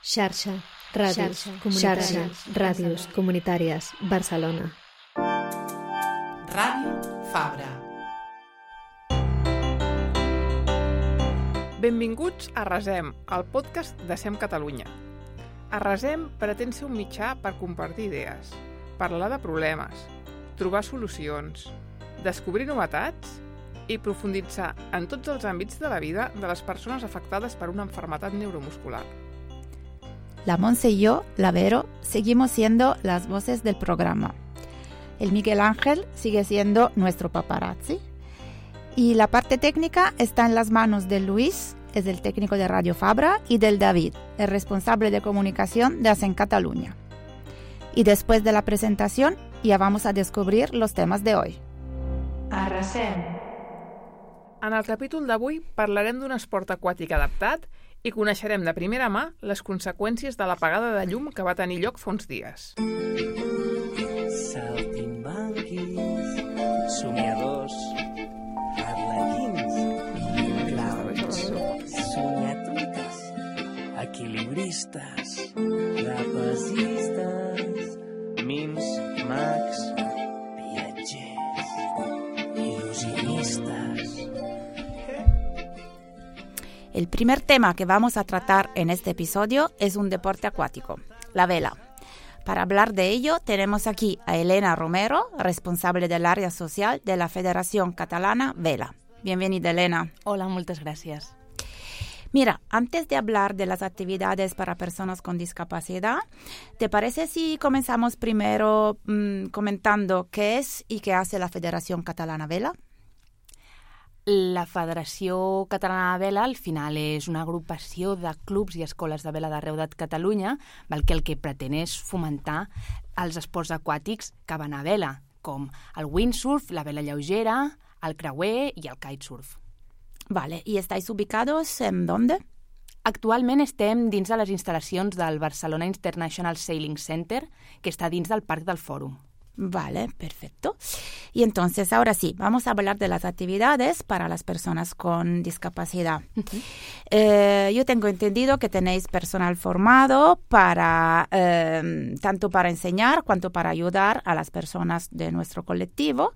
Xarxa, ràdios comunitàries, Barcelona. Ràdio Fabra. Benvinguts a Resem, el podcast de SEM Catalunya. A Resem pretén ser un mitjà per compartir idees, parlar de problemes, trobar solucions, descobrir novetats i profunditzar en tots els àmbits de la vida de les persones afectades per una enfermedad neuromuscular. La Monse y yo, la Vero, seguimos siendo las voces del programa. El Miguel Ángel sigue siendo nuestro paparazzi. Y la parte técnica está en las manos de Luis, es el técnico de Radio Fabra, y del David, el responsable de comunicación de SEM Catalunya. Y después de la presentación, ya vamos a descobrir los temas de hoy. Arrasem. En el capítol d'avui parlarem d'un esport aquàtic adaptat i coneixerem de primera mà les conseqüències de l'apagada de llum que va tenir lloc fa uns dies. Saltimbanquis, somiadors, arlequins, claus, somiatruites, equilibristes, trapezistes, mims, mags, viatgers, il·lusionistes. El primer tema que vamos a tratar en este episodio es un deporte acuático, la vela. Para hablar de ello tenemos aquí a Elena Romero, responsable del área social de la Federación Catalana Vela. Bienvenida, Elena. Hola, muchas gracias. Mira, antes de hablar de las actividades para personas con discapacidad, ¿te parece si comenzamos primero comentando qué es y qué hace la Federación Catalana Vela? La Federació Catalana de Vela al final és una agrupació de clubs i escoles de vela d'arreu de Catalunya, que el que pretén és fomentar els esports aquàtics que van a vela, com el windsurf, la vela lleugera, el creuer i el kitesurf. Vale, ¿y estáis ubicados en dónde? Actualment estem dins de les instal·lacions del Barcelona International Sailing Center, que està dins del Parc del Fòrum. Vale, perfecto. Y entonces, ahora sí, vamos a hablar de las actividades para las personas con discapacidad. Yo tengo entendido que tenéis personal formado para tanto para enseñar cuanto para ayudar a las personas de nuestro colectivo.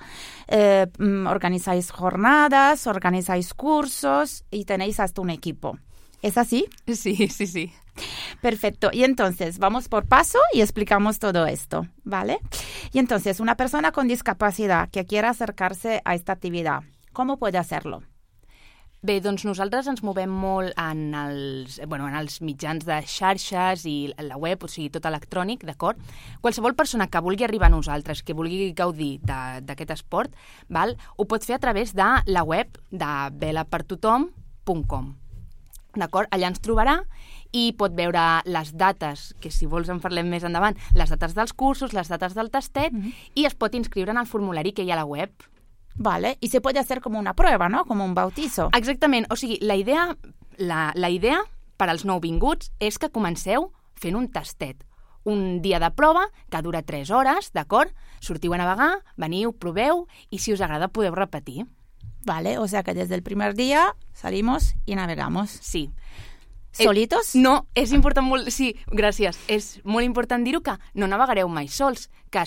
Organizáis jornadas, organizáis cursos y tenéis hasta un equipo. ¿Es así? Sí. Perfecto. Y entonces, vamos por paso y explicamos todo esto, ¿vale? Y entonces, una persona con discapacidad que quiera acercarse a esta actividad, ¿cómo puede hacerlo? Bé, doncs nosaltres ens movem molt en els mitjans de xarxes i la web, o sigui, tot electrònic, d'acord? Qualsevol persona que vulgui arribar a nosaltres, que vulgui gaudir d'aquest esport, ho pot fer a través de la web de velapertothom.com. D'acord? Allà ens trobarà i pot veure les dates, que si vols en parlem més endavant, les dates dels cursos, les dates del tastet, i es pot inscriure en el formulari que hi ha a la web. Vale, y se puede hacer como una prueba, ¿no? Como un bautizo. Exactament, o sigui, la idea per als nouvinguts és que comenceu fent un tastet. Un dia de prova que dura 3 hores, d'acord? Sortiu a navegar, veniu, proveu, i si us agrada podeu repetir. Vale, o sea que desde el primer día salimos y navegamos. Sí. ¿Solitos? No, és important molt... Sí, gràcies. És molt important dir-ho que no navegareu mai sols, que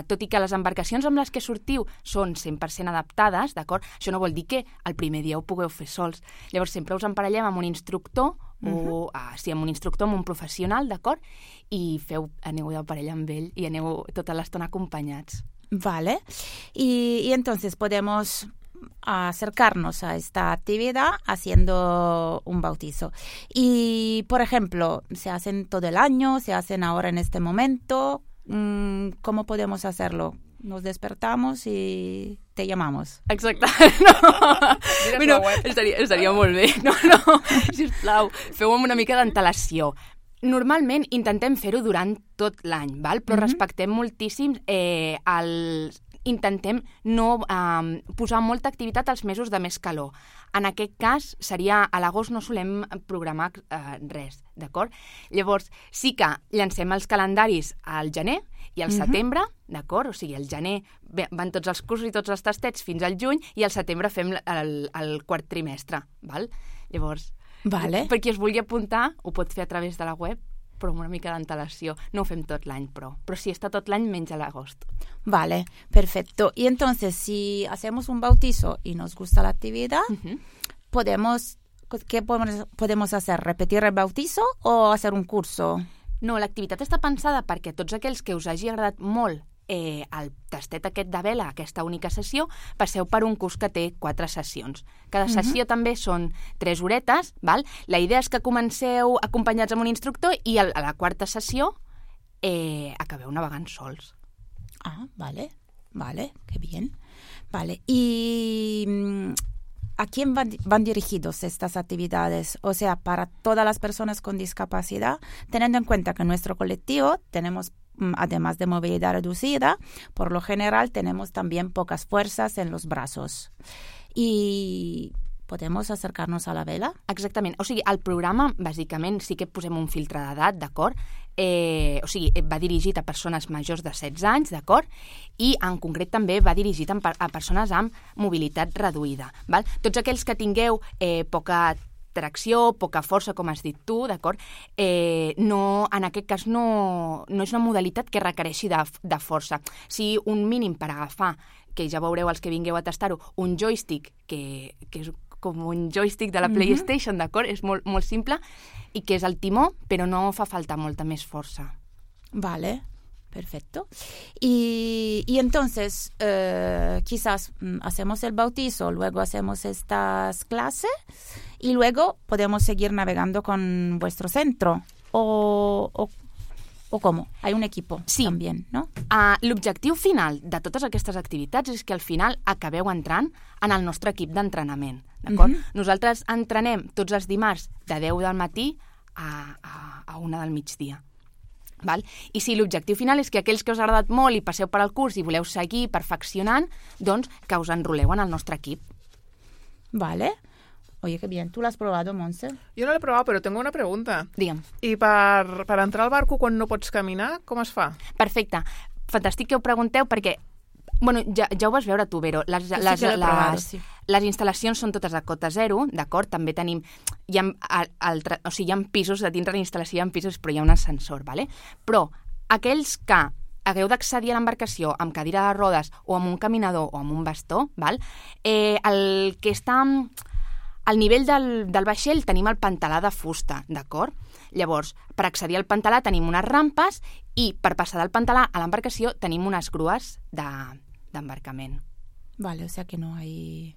tot i que les embarcacions amb les que sortiu són 100% adaptades, d'acord? Això no vol dir que el primer dia ho pugueu fer sols. Llavors sempre us emparellem amb un instructor, amb un instructor, amb un professional, d'acord? I aneu de parella amb ell i aneu tota l'estona acompanyats. Vale. Y entonces podemos acercarnos a esta actividad haciendo un bautizo. Y, por ejemplo, ¿se hacen todo el año? ¿Se hacen ahora en este momento? ¿Cómo podemos hacerlo? Nos despertamos y te llamamos. Exacte. No, estaria molt bé. No, sisplau, feu amb una mica d'antelació. Normalment intentem fer-ho durant tot l'any, però respectem moltíssim intentem no posar molta activitat als mesos de més calor. En aquest cas, seria a l'agost no solem programar res, d'acord? Llavors, sí que llancem els calendaris al gener i al setembre, d'acord? O sigui, al gener van tots els cursos i tots els tastets fins al juny i al setembre fem el quart trimestre, val? Llavors, vale. Per qui es vulgui apuntar, ho pot fer a través de la web però amb una mica d'antelació. No ho fem tot l'any, però sí, està tot l'any menys a l'agost. Vale, perfecto. Y entonces, si hacemos un bautizo y nos gusta la actividad, ¿qué podemos hacer? ¿Repetir el bautizo o hacer un curso? No, l'activitat està pensada perquè tots aquells que us hagi agradat molt el tastet aquest de vela, aquesta única sessió, passeu per un curs que té 4 sessions. Cada sessió també són 3 horetes, val? La idea és que comenceu acompanyats amb un instructor i a la 4ª sessió acabeu navegant sols. Ah, vale, qué bien. Vale, ¿y a quién van dirigidos estas actividades? O sea, para todas las personas con discapacidad, teniendo en cuenta que en nuestro colectivo tenemos, además de movilidad reducida, por lo general tenemos también pocas fuerzas en los brazos. Y podemos acercarnos a la vela? Exactament. O sigui, el programa, bàsicament, sí que posem un filtre d'edat, d'acord? O sigui, va dirigit a persones majors de 16 anys, d'acord? I, en concret, també va dirigit a persones amb mobilitat reduïda, val? Tots aquells que tingueu poca tracció, poca força, com has dit tu, d'acord? No, en aquest cas no és una modalitat que requereixi de força. Si un mínim per agafar, que ja veureu els que vingueu a tastar-ho, un joystick, que és com un joystick de la PlayStation, d'acord? És molt, molt simple, i que és el timó, però no fa falta molta més força. Vale, perfecto. Y entonces, quizás hacemos el bautizo, luego hacemos estas clases y luego podemos seguir navegando con vuestro centro. ¿O cómo? Hay un equipo també, no? L'objectiu final de totes aquestes activitats és que al final acabeu entrant en el nostre equip d'entrenament, d'acord? Nosaltres entrenem tots els dimarts de 10 del matí a 1 del migdia. Val? I si l'objectiu final és que aquells que us ha agradat molt i passeu per al curs i voleu seguir perfeccionant, doncs que us enroleu en el nostre equip. Vale. Oye, qué bien. ¿Tú lo has probado, Montse? Jo no l'he provat, però tengo una pregunta. Digue'm. I per entrar al barco quan no pots caminar, com es fa? Perfecte. Fantàstic que ho pregunteu perquè bueno, ja ho vas veure tu, Vero. Les instal·lacions són totes a cota zero, d'acord? També tenim... Hi ha pisos, de dins de la instal·lació hi ha pisos, però hi ha un ascensor, ¿vale? Però aquells que hagueu d'accedir a l'embarcació amb cadira de rodes o amb un caminador o amb un bastó, val? El que està... Al nivell del vaixell tenim el pantalà de fusta, d'acord? Llavors, per accedir al pantalà tenim unes rampes i per passar del pantalà a l'embarcació tenim unes grues d'embarcament. Vale, o sea que no hay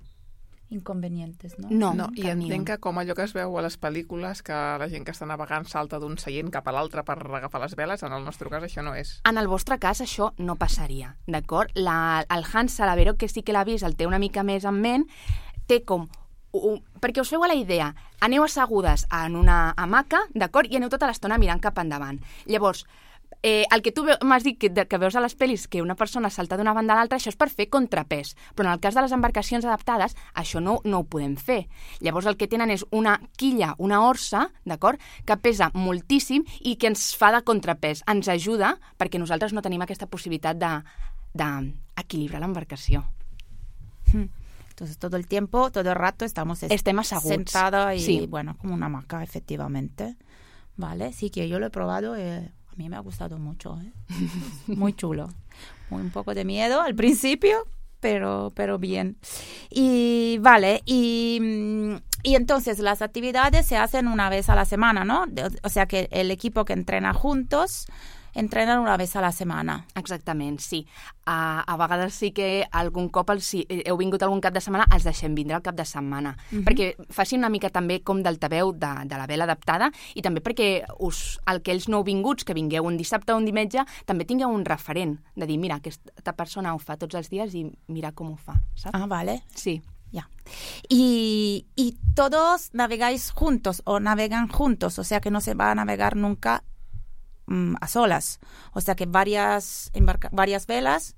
inconvenientes, no? No, i entenc que com allò que es veu a les pel·lícules, que la gent que està navegant salta d'un seient cap a l'altre per agafar les veles, en el nostre cas això no és. En el vostre cas això no passaria, d'acord? El Hans Salavero, que sí que l'ha vist, el té una mica més en ment, té com... perquè us feu a la idea, aneu assegudes en una hamaca, d'acord? I aneu tota l'estona mirant cap endavant. Llavors, el que tu m'has dit que veus a les pel·lis que una persona salta d'una banda a l'altra, això és per fer contrapès. Però en el cas de les embarcacions adaptades, això no ho podem fer. Llavors el que tenen és una quilla, una orsa, d'acord? Que pesa moltíssim i que ens fa de contrapès. Ens ajuda perquè nosaltres no tenim aquesta possibilitat d'equilibrar l'embarcació. Entonces, todo el tiempo, todo el rato estamos sentada y, bueno, como una hamaca, efectivamente. Vale, sí que yo lo he probado, a mí me ha gustado mucho, muy chulo. Un poco de miedo al principio, pero bien. Y vale, y entonces las actividades se hacen una vez a la semana, ¿no? O sea que el equipo que entrena juntos... entrenen una vegada a la setmana. Exactament, sí. A vegades sí que algun cop, si heu vingut algun cap de setmana, els deixem vindre al cap de setmana. Perquè facin una mica també com d'altaveu de la vela adaptada i també perquè aquells nouvinguts que vingueu un dissabte o un diumenge també tingueu un referent de dir, mira, aquesta persona ho fa tots els dies i mira com ho fa, saps? Ah, vale. Sí. Ya. Y todos navegáis juntos o navegan juntos, o sea que no se va a navegar nunca a solas, o sea que varias velas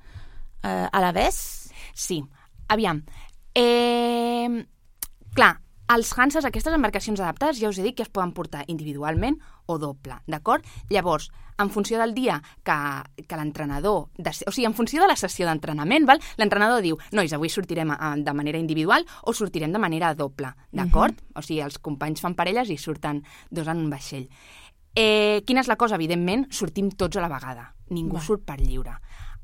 a la vez. Sí, aviam. Clar, els Hanses, aquestes embarcacions adaptades, ja us he dit que es poden portar individualment o doble, d'acord? Llavors, en funció del dia que l'entrenador... O sigui, en funció de la sessió d'entrenament, l'entrenador diu, nois, avui sortirem de manera individual o sortirem de manera doble, d'acord? O sigui, els companys fan parelles i surten dos en un vaixell. Quina és la cosa? Evidentment, sortim tots a la vegada. Ningú surt per lliure.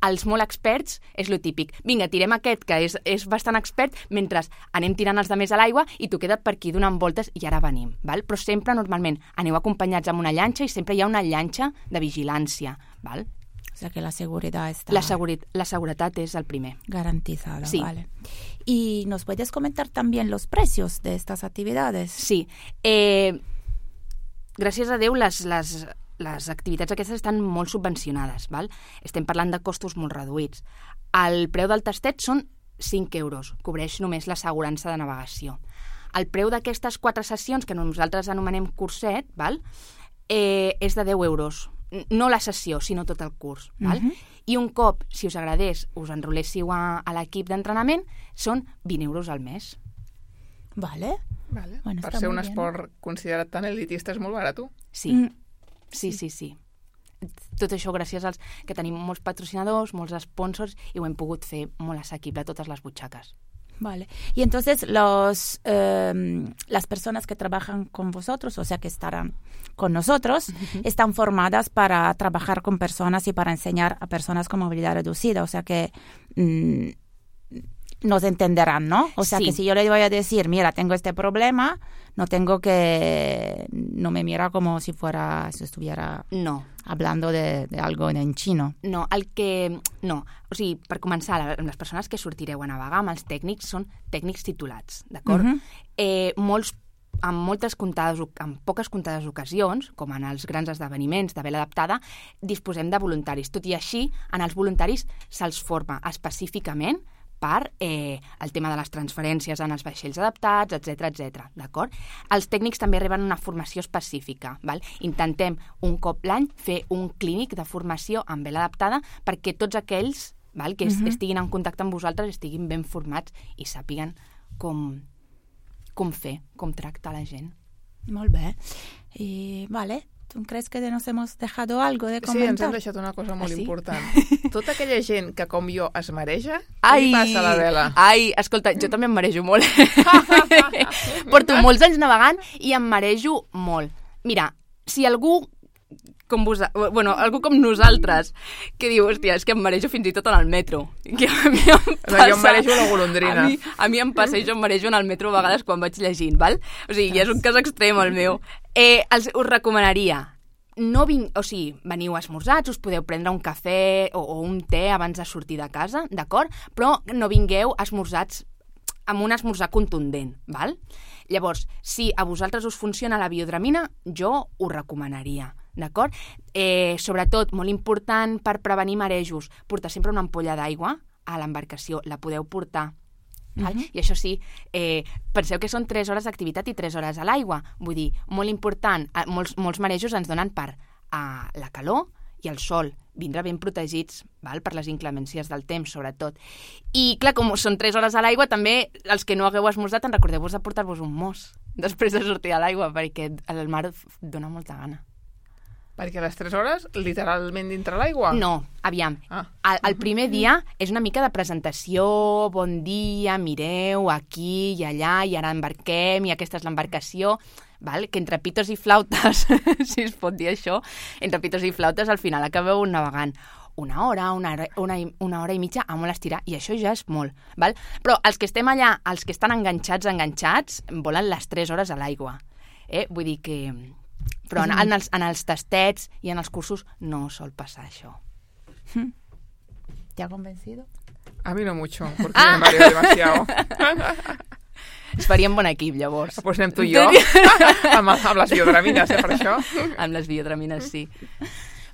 Els molt experts és lo típic. Vinga, tirem aquest, que és bastant expert, mentre anem tirant els de més a l'aigua i tu queda't per aquí donant voltes i ara venim. Val? Però sempre, normalment, aneu acompanyats amb una llanxa i sempre hi ha una llanxa de vigilància. Val? O sea que la seguridad está... La seguretat és el primer. Garantizada, sí. Vale. ¿Y nos puedes comentar también los precios de estas actividades? Sí. Gràcies a Déu, les activitats aquestes estan molt subvencionades. Val? Estem parlant de costos molt reduïts. El preu del tastet són 5 euros, cobreix només l'assegurança de navegació. El preu d'aquestes 4 sessions, que nosaltres anomenem curset, val? És de 10 euros. No la sessió, sinó tot el curs. Val? I un cop, si us agradés, us enroléssiu a l'equip d'entrenament, són 20 euros al mes. Vale. Bueno, per ser un esport considerat tan elitista és molt barat. Sí. Sí. Tot això gràcies als que tenim molts patrocinadors, molts sponsors, i ho hem pogut fer molt assequible a totes les butxaques. Vale. Y entonces las personas que trabajan con vosotros, o sea, que estarán con nosotros, están formadas para trabajar con personas y para enseñar a personas con movilidad reducida. O sea que nos entenderán, ¿no? O sea, que si yo le voy a decir, mira, tengo este problema, no me mira como si estuviera hablando de algo en chino. No, o sigui, per començar, les persones que sortireu a navegar amb els tècnics són tècnics titulats, d'acord? En poques comptades ocasions, com en els grans esdeveniments de vela adaptada, disposem de voluntaris. Tot i així, en els voluntaris se'ls forma específicament per el tema de les transferències en els vaixells adaptats, etc. D'acord? Els tècnics també reben una formació específica. Val? Intentem un cop l'any fer un clínic de formació en vela adaptada perquè tots aquells que estiguin en contacte amb vosaltres estiguin ben formats i sàpiguen com fer, com tractar la gent. Molt bé. I, vale. ¿Tú crees que nos hemos dejado algo de comentar? Sí, ens hem deixat una cosa molt important. Tota aquella gent que, com jo, es mareja, què li passa a la vela? Ai, escolta, jo també em marejo molt. Porto molts anys navegant i em marejo molt. Mira, si algú algú com nosaltres, que diu, hòstia, és que em marejo fins i tot en el metro. Que a mi em passa... Jo em marejo la golondrina. A mi em passa i jo em marejo en el metro a vegades quan vaig llegint, val? O sigui, ja és un cas extrem el meu. Us recomanaria, veniu esmorzats, us podeu prendre un cafè o un te abans de sortir de casa, d'acord? Però no vingueu esmorzats amb un esmorzar contundent, val? Llavors, si a vosaltres us funciona la biodramina, jo ho recomanaria, d'acord? Sobretot, molt important per prevenir marejos, portar sempre una ampolla d'aigua a l'embarcació, la podeu portar. I això sí, penseu que són 3 hores d'activitat i 3 hores a l'aigua. Vull dir, molt important, molts marejos ens donen per la calor i el sol, vindre ben protegits, val? Per les inclemències del temps, sobretot. I, clar, com són 3 hores a l'aigua, també els que no hagueu esmorzat, en recordeu-vos de portar-vos un mos després de sortir a l'aigua, perquè el mar dona molta gana. Perquè a les 3 hores, literalment dintre l'aigua? No, aviam. El primer dia és una mica de presentació, bon dia, mireu, aquí i allà, i ara embarquem, i aquesta és l'embarcació, val? Que entre pitos i flautes, si es pot dir això, entre pitos i flautes al final acabeu navegant una hora i mitja a molt estirar, i això ja és molt, val? Però els que estem allà, els que estan enganxats, volen les 3 hores a l'aigua. Vull dir que... Però en els tastets i en els cursos no sol passar això. ¿Te ha convencido? A mí no mucho, porque me mareo demasiado. Es faríem bon equip, llavors. Pues anem tu i jo, amb les biodramines, per això. Amb les biodramines, sí.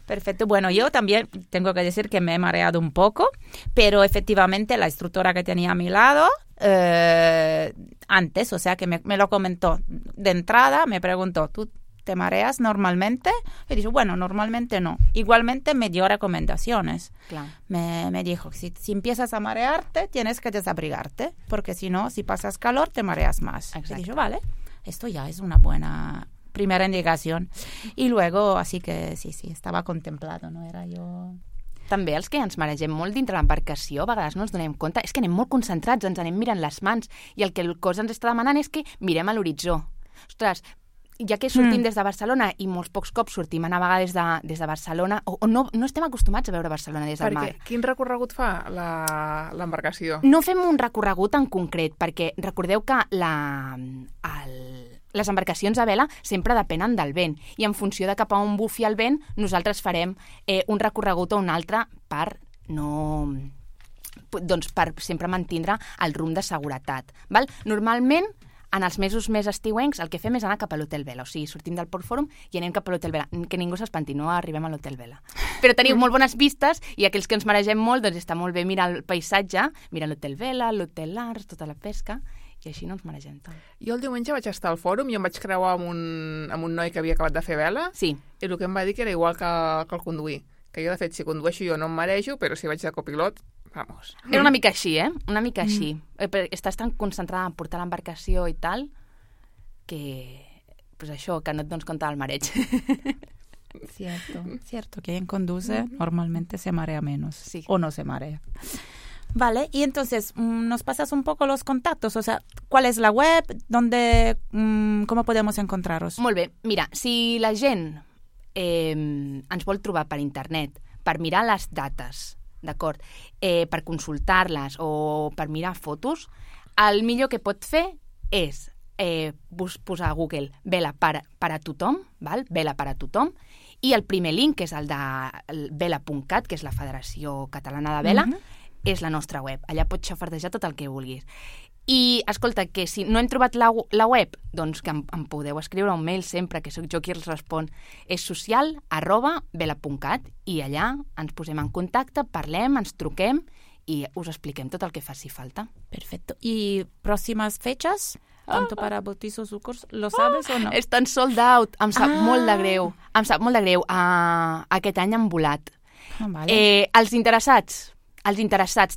Perfecto. Bueno, yo también tengo que decir que me he mareado un poco, pero efectivamente la instructora que tenía a mi lado antes, o sea que me lo comentó de entrada, me preguntó, ¿tú te mareas normalmente? Y dije, bueno, normalmente no. Igualmente me dio recomendaciones. Claro. Me dijo, si empiezas a marearte, tienes que desabrigarte, porque si no, si pasas calor, te mareas más. Exacto. Y dije, vale, esto ya es una buena primera indicación. Y luego, así que sí, estava contemplado, no era jo... També els que ens maregem molt dintre l'embarcació, a vegades no ens donem compte, és que anem molt concentrats, ens anem mirant les mans, i el que el cos ens està demanant és que mirem a l'horitzó. Ostres, ja que sortim des de Barcelona i molts pocs cops sortim a navegar des de Barcelona, o no estem acostumats a veure Barcelona des del mar. Perquè quin recorregut fa l'embarcació? No fem un recorregut en concret, perquè recordeu que les embarcacions a vela sempre depenen del vent, i en funció de cap a on bufi el vent, nosaltres farem un recorregut o un altre per sempre mantindre el rumb de seguretat. Val? Normalment, en els mesos més estiuencs, el que fem és anar cap a l'Hotel Vela. O sigui, sortim del Port Fòrum i anem cap a l'Hotel Vela. Que ningú s'espanti, no arribem a l'Hotel Vela. Però teniu molt bones vistes i aquells que ens maregem molt, doncs està molt bé mirar el paisatge, mirar l'Hotel Vela, l'Hotel Lars, tota la pesca, i així no ens maregem tant. Jo el diumenge vaig estar al fòrum i em vaig creuar amb un noi que havia acabat de fer vela, Sí. i el que em va dir que era igual que el conduir. Que jo, de fet, si condueixo jo no em marejo, però si vaig de copilot, vamos. Era una mica així, Una mica així. Estàs tan concentrada en portar l'embarcació i tal, que pues això, que no et dones compte del mareig. Cierto. Quien conduce normalmente se marea menos. Sí. O no se marea. Vale, y entonces nos pasas un poco los contactos, o sea, ¿cuál es la web? ¿Dónde, cómo podemos encontraros? Molt bé. Mira, si la gent ens vol trobar per internet, per mirar les dates, d'acord, per consultar-les o per mirar fotos, el millor que pot fer és posar a Google Vela per a tothom, val? Vela per a tothom, i el primer link, que és el de vela.cat, que és la Federació Catalana de Vela, és la nostra web. Allà pots xafardejar tot el que vulguis. I, escolta, que si no hem trobat la web, doncs que em podeu escriure un mail sempre, que sóc jo qui els respon. És social@vela.cat, i allà ens posem en contacte, parlem, ens truquem i us expliquem tot el que faci falta. Perfecto. ¿Y próximas fechas? Tanto para bautizos o cursos, ¿lo sabes o no? Estan sold out. Em sap molt de greu. Em sap molt de greu. Aquest any han volat. Vale. Els interessats,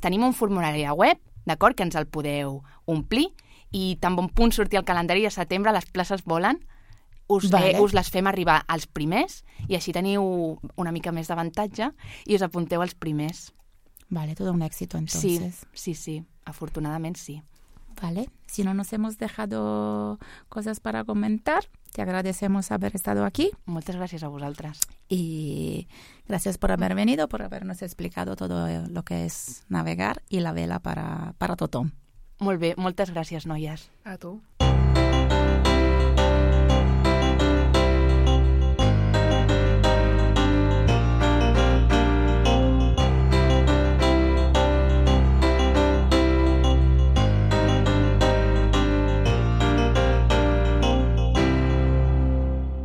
tenim un formulari a web, d'acord, que ens el podeu omplir, i tan bon punt sortir el calendari de setembre, les places volen, us les fem arribar als primers, i així teniu una mica més d'avantatge i us apunteu als primers. Vale, todo un éxito entonces. Sí, afortunadamente sí. Vale, si no nos hemos dejado cosas para comentar, te agradecemos haber estado aquí. Moltes gràcies a vosaltres. Y gracias por haber venido, por habernos explicado todo lo que es navegar y la vela para tothom. Molt bé, moltes gràcies, noies. A tu.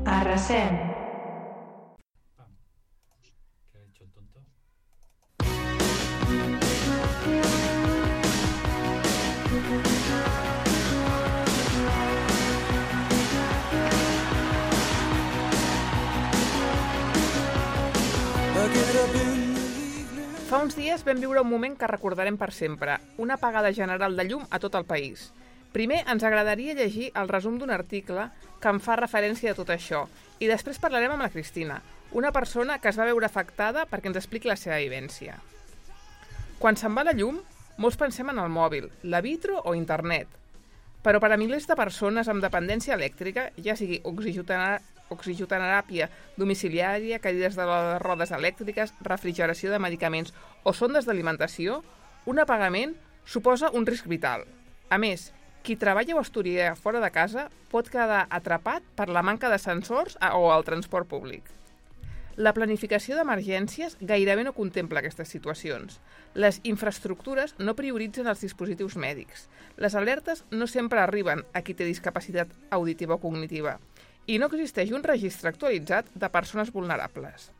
Arrasem. ¿Qué ha hecho el tonto? Fa uns dies vam viure un moment que recordarem per sempre, una apagada general de llum a tot el país. Primer ens agradaria llegir el resum d'un article que en fa referència a tot això, i després parlarem amb la Cristina, una persona que es va veure afectada perquè ens expliqui la seva vivència. Quan se'n va la llum, molts pensem en el mòbil, la vitro o internet. Però per a milers de persones amb dependència elèctrica, ja sigui oxigenoteràpia domiciliària, cadires de rodes elèctriques, refrigeració de medicaments o sondes d'alimentació, un apagament suposa un risc vital. A més, qui treballa o estudia fora de casa pot quedar atrapat per la manca de sensors o el transport públic. La planificació d'emergències gairebé no contempla aquestes situacions. Les infraestructures no prioritzen els dispositius mèdics. Les alertes no sempre arriben a qui té discapacitat auditiva o cognitiva. I no existeix un registre actualitzat de persones vulnerables.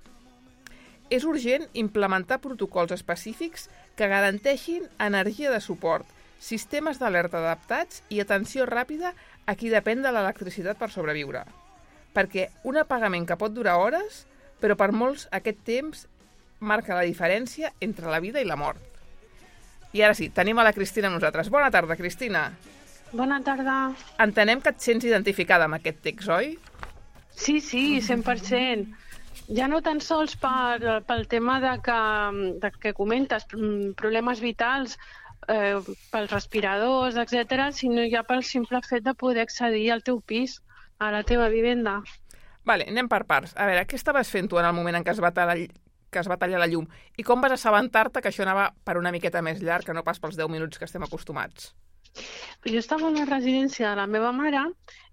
És urgent implementar protocols específics que garanteixin energia de suport, sistemes d'alerta adaptats i atenció ràpida a qui depèn de l'electricitat per sobreviure. Perquè un apagament que pot durar hores, però per molts aquest temps marca la diferència entre la vida i la mort. I ara sí, tenim a la Cristina amb nosaltres. Bona tarda, Cristina. Bona tarda. Entenem que et sents identificada amb aquest text, oi? Sí, 100%. Ja no tan sols pel tema de que comentes, problemes vitals, pels respiradors, etc., sinó ja pel simple fet de poder accedir al teu pis, a la teva vivenda. Vale, anem per parts. A veure, què estaves fent tu en el moment en què es va tallar la llum? I com vas assabentar-te que això anava per una miqueta més llarg, que no pas pels 10 minuts que estem acostumats? Jo estava a la residència de la meva mare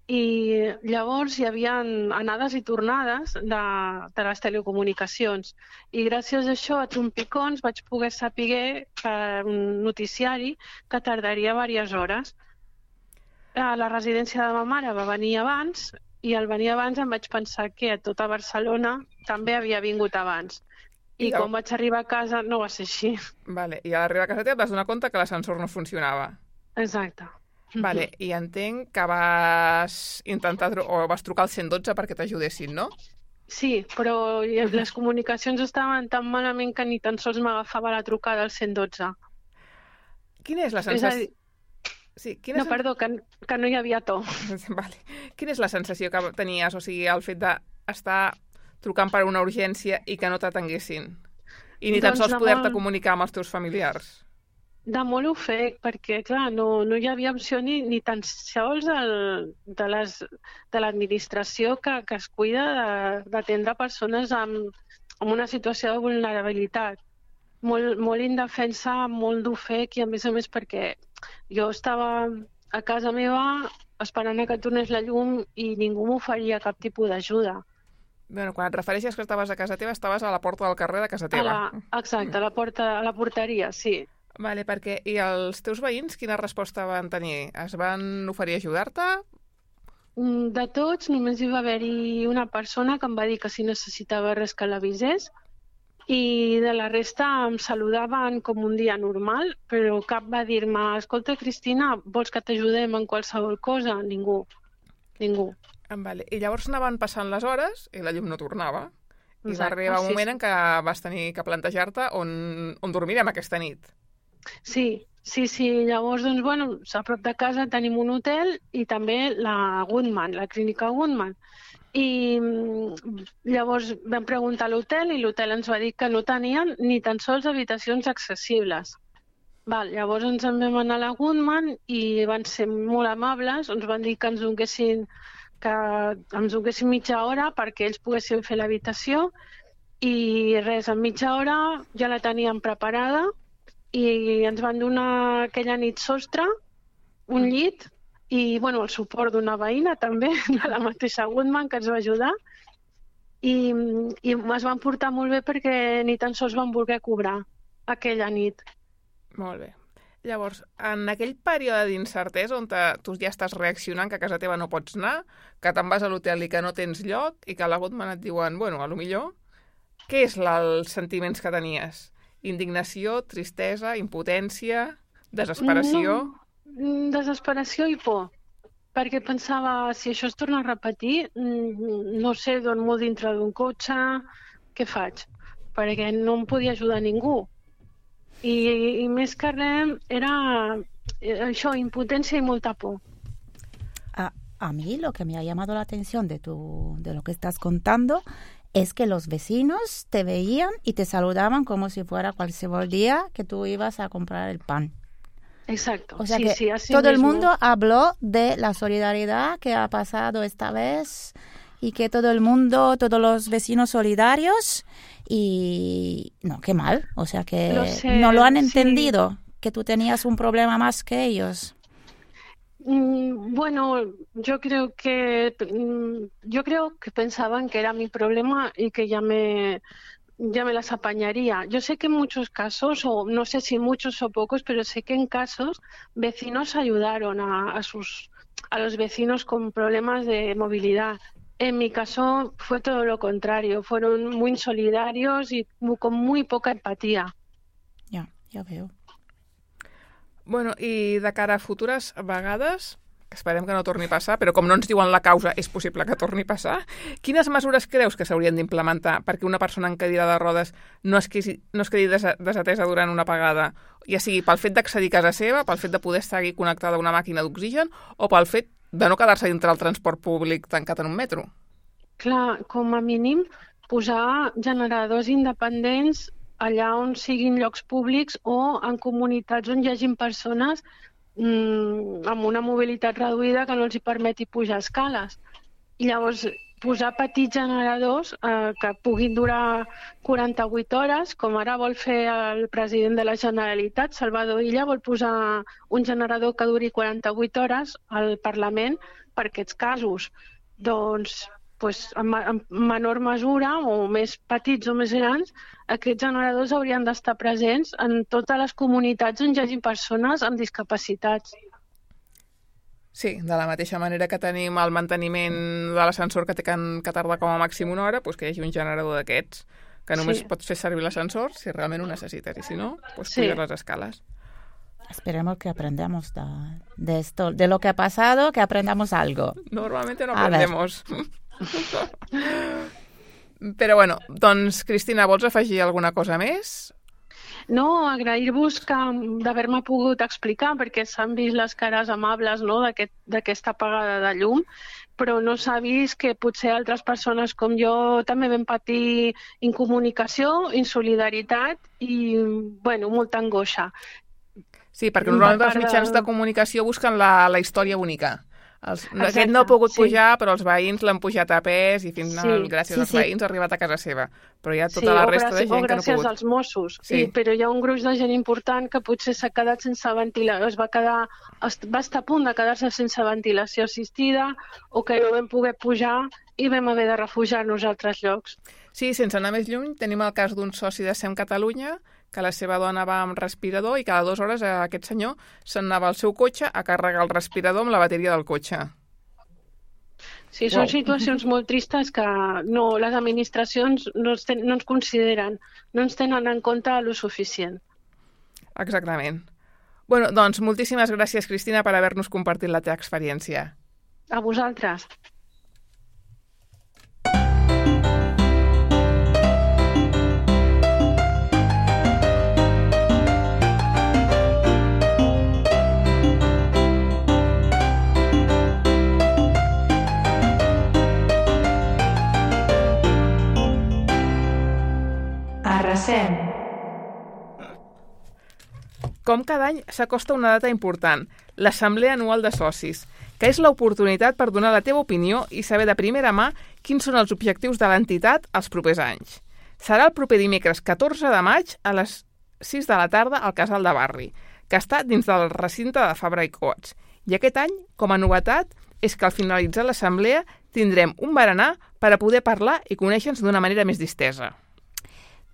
i llavors hi havia anades i tornades de les telecomunicacions. I gràcies a això, a trompicons, vaig poder saber per un noticiari que tardaria diverses hores. A la residència de ma mare va venir abans i al venir abans em vaig pensar que a tota Barcelona també havia vingut abans. I quan vaig arribar a casa no va ser així. Vale. I a l'arribar a casa teva et vas donar compte que l'ascensor no funcionava. Exacte. Vale. I entenc que vas intentar o vas trucar al 112 perquè t'ajudessin, no? Sí, però les comunicacions estaven tan malament que ni tan sols m'agafava la trucada al 112. Quina és la sensació? Sí, no, perdó, que no hi havia to. Vale. Quina és la sensació que tenies? O sigui, el fet d'estar trucant per una urgència i que no t'atenguessin? I ni tan sols poder-te comunicar amb els teus familiars? De molt ofec, perquè, clar, no hi havia opció ni tan sols de l'administració que es cuida d'atendre persones amb una situació de vulnerabilitat. Molt indefensa, molt d'ofec i, a més perquè jo estava a casa meva esperant que tornés la llum i ningú m'oferia cap tipus d'ajuda. Bueno, quan et refereixes que estaves a casa teva, estaves a la porta del carrer de casa teva. Exacte, a la porteria, sí. Vale, perquè... I els teus veïns quina resposta van tenir? Es van oferir a ajudar-te? De tots, només hi va haver-hi una persona que em va dir que si necessitava res que l'avisés i de la resta em saludaven com un dia normal, però cap va dir-me: escolta, Cristina, vols que t'ajudem en qualsevol cosa? Ningú. Vale. I llavors anaven passant les hores i la llum no tornava. I va arribar un moment en què vas tenir que plantejar-te on dormirem aquesta nit. Sí. Llavors, doncs, bueno, a prop de casa tenim un hotel i també la Goodman, la clínica Goodman. I llavors vam preguntar a l'hotel i l'hotel ens va dir que no tenien ni tan sols habitacions accessibles. Llavors ens en vam anar a la Goodman i van ser molt amables, ens van dir que ens donessin mitja hora perquè ells poguessin fer l'habitació i res, en mitja hora ja la teníem preparada i ens van donar aquella nit sostre, un llit i el suport d'una veïna també, de la mateixa Goodman, que ens va ajudar i es van portar molt bé perquè ni tan sols van voler cobrar aquella nit. Molt bé. Llavors, en aquell període d'incertesa on tu ja estàs reaccionant que a casa teva no pots anar, que te'n vas a l'hotel i que no tens lloc i que a la Goodman et diuen, a lo millor, què és els sentiments que tenies? Indignació, tristesa, impotència, desesperació? No, desesperació i por. Perquè pensava, si això es torna a repetir, no sé, dormo dintre d'un cotxe, què faig? Perquè no em podia ajudar ningú. Y més que res era això, impotencia y molta por. A mí lo que me ha llamado la atención de lo que estás contando es que los vecinos te veían y te saludaban como si fuera cualquier día que tú ibas a comprar el pan. Exacto. O sea sí, que sí, así todo mismo. El mundo habló de la solidaridad que ha pasado esta vez y que todo el mundo, todos los vecinos solidarios y no, qué mal, o sea que no lo han entendido, que tú tenías un problema más que ellos. Bueno, yo creo que pensaban que era mi problema y que ya me las apañaría. Yo sé que en muchos casos, o no sé si muchos o pocos, pero sé que en casos vecinos ayudaron a los vecinos con problemas de movilidad. En mi caso fue todo lo contrario, fueron muy solidarios y con muy poca empatía. Ja veo. Bueno, i de cara a futures vegades, esperem que no torni a passar, però com no ens diuen la causa, és possible que torni a passar, quines mesures creus que s'haurien d'implementar perquè una persona en cadira de rodes no es quedi desatesa durant una apagada, ja sigui pel fet d'accedir a casa seva, pel fet de poder estar connectada a una màquina d'oxigen o pel fet de no quedar-se dintre el transport públic tancat en un metro? Clar, com a mínim, posar generadors independents allà on siguin llocs públics o en comunitats on hi hagin persones amb una mobilitat reduïda que no els hi permeti pujar escales. I llavors posar petits generadors que puguin durar 48 hores, com ara vol fer el president de la Generalitat, Salvador Illa, vol posar un generador que duri 48 hores al Parlament per aquests casos. Doncs en menor mesura, o més petits o més grans, aquests generadors haurien d'estar presents en totes les comunitats on hi hagi persones amb discapacitats. Sí, de la mateixa manera que tenim el manteniment de l'ascensor que té que tardar com a màxim una hora, doncs que hi hagi un generador d'aquests, que només pots fer servir l'ascensor si realment ho necessites, i si no, puges les escales. Esperemos que aprendamos de esto, de lo que ha pasado, que aprendamos algo. Normalmente no aprendemos. Però bueno, doncs, Cristina, vols afegir alguna cosa més? No, agrair-vos d'haver-me pogut explicar, perquè s'han vist les cares amables, no?, d'aquesta apagada de llum, però no s'ha vist que potser altres persones com jo també vam patir incomunicació, insolidaritat i, molta angoixa. Sí, perquè normalment els mitjans de comunicació busquen la història única. Aquest no ha pogut pujar, però els veïns l'han pujat a pes i gràcies als veïns ha arribat a casa seva. Però hi ha tota la resta de gent que no ha pogut. O gràcies als Mossos. Però hi ha un gruix de gent important que potser s'ha quedat sense ventilació, va estar a punt de quedar-se sense ventilació assistida o que no vam poder pujar i vam haver de refugiar-nos a altres llocs. Sí, sense anar més lluny, tenim el cas d'un soci de SEM Catalunya que la seva dona va amb respirador i cada 2 hores aquest senyor se'n anava al seu cotxe a carregar el respirador amb la bateria del cotxe. Sí, són situacions molt tristes que les administracions no ens consideren, no ens tenen en compte lo suficient. Exactament. Bueno, doncs moltíssimes gràcies, Cristina, per haver-nos compartit la teva experiència. A vosaltres. Arrasem. Com cada any s'acosta una data important, l'Assemblea Anual de Socis, que és l'oportunitat per donar la teva opinió i saber de primera mà quins són els objectius de l'entitat els propers anys. Serà el proper dimecres 14 de maig a les 6 de la tarda al Casal de Barri, que està dins del recinte de Fabra i Coats. I aquest any, com a novetat, és que al finalitzar l'assemblea tindrem un berenar per a poder parlar i conèixer-nos d'una manera més distesa.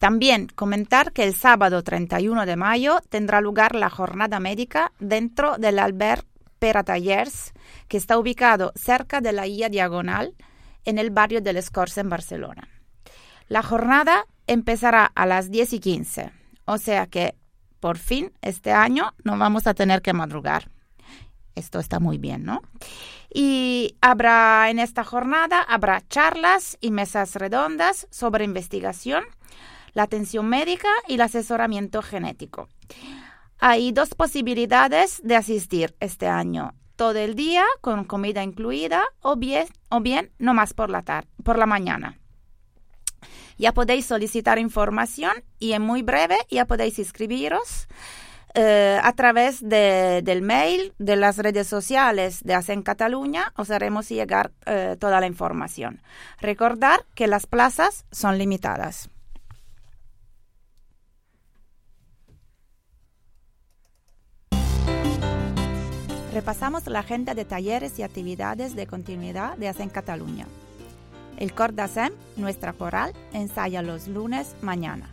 También comentar que el sábado 31 de mayo tendrá lugar la jornada médica dentro del albergue Pera Tallers, que está ubicado cerca de la Illa Diagonal, en el barrio del Escorça, en Barcelona. La jornada empezará a las 10:15, o sea que, por fin, este año no vamos a tener que madrugar. Esto está muy bien, ¿no? Y en esta jornada habrá charlas y mesas redondas sobre investigación, la atención médica y el asesoramiento genético. Hay 2 posibilidades de asistir este año: todo el día con comida incluida o bien nomás por la mañana. Ya podéis solicitar información y en muy breve ya podéis inscribiros a través del mail, de las redes sociales de ASEM Catalunya. Os haremos llegar toda la información. Recordar que las plazas son limitadas. Repasamos la agenda de talleres y actividades de continuidad de ASEM Catalunya. El cor de ASEM, nuestra coral, ensaya los lunes mañana.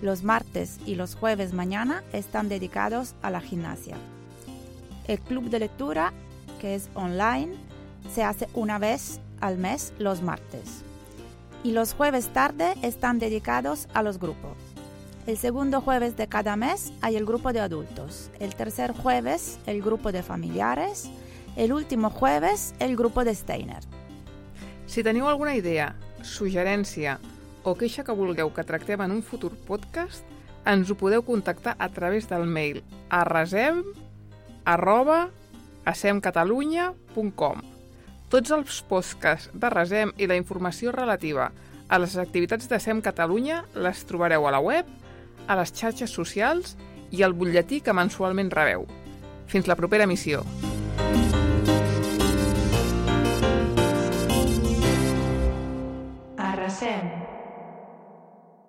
Los martes y los jueves mañana están dedicados a la gimnasia. El club de lectura, que es online, se hace una vez al mes los martes. Y los jueves tarde están dedicados a los grupos. El segundo jueves de cada mes hay el grupo de adultos, el tercer jueves el grupo de familiares, el último jueves el grupo de Steiner. Si teniu alguna idea, suggerència o queixa que vulgueu que tractem en un futur podcast, ens ho podeu contactar a través del mail arrasem@asemcatalunya.com. Tots els podcasts de Rasem i la informació relativa a les activitats d'ASEM Catalunya les trobareu a la web, a les xarxes socials i al butlletí que mensualment rebeu. Fins la propera emissió.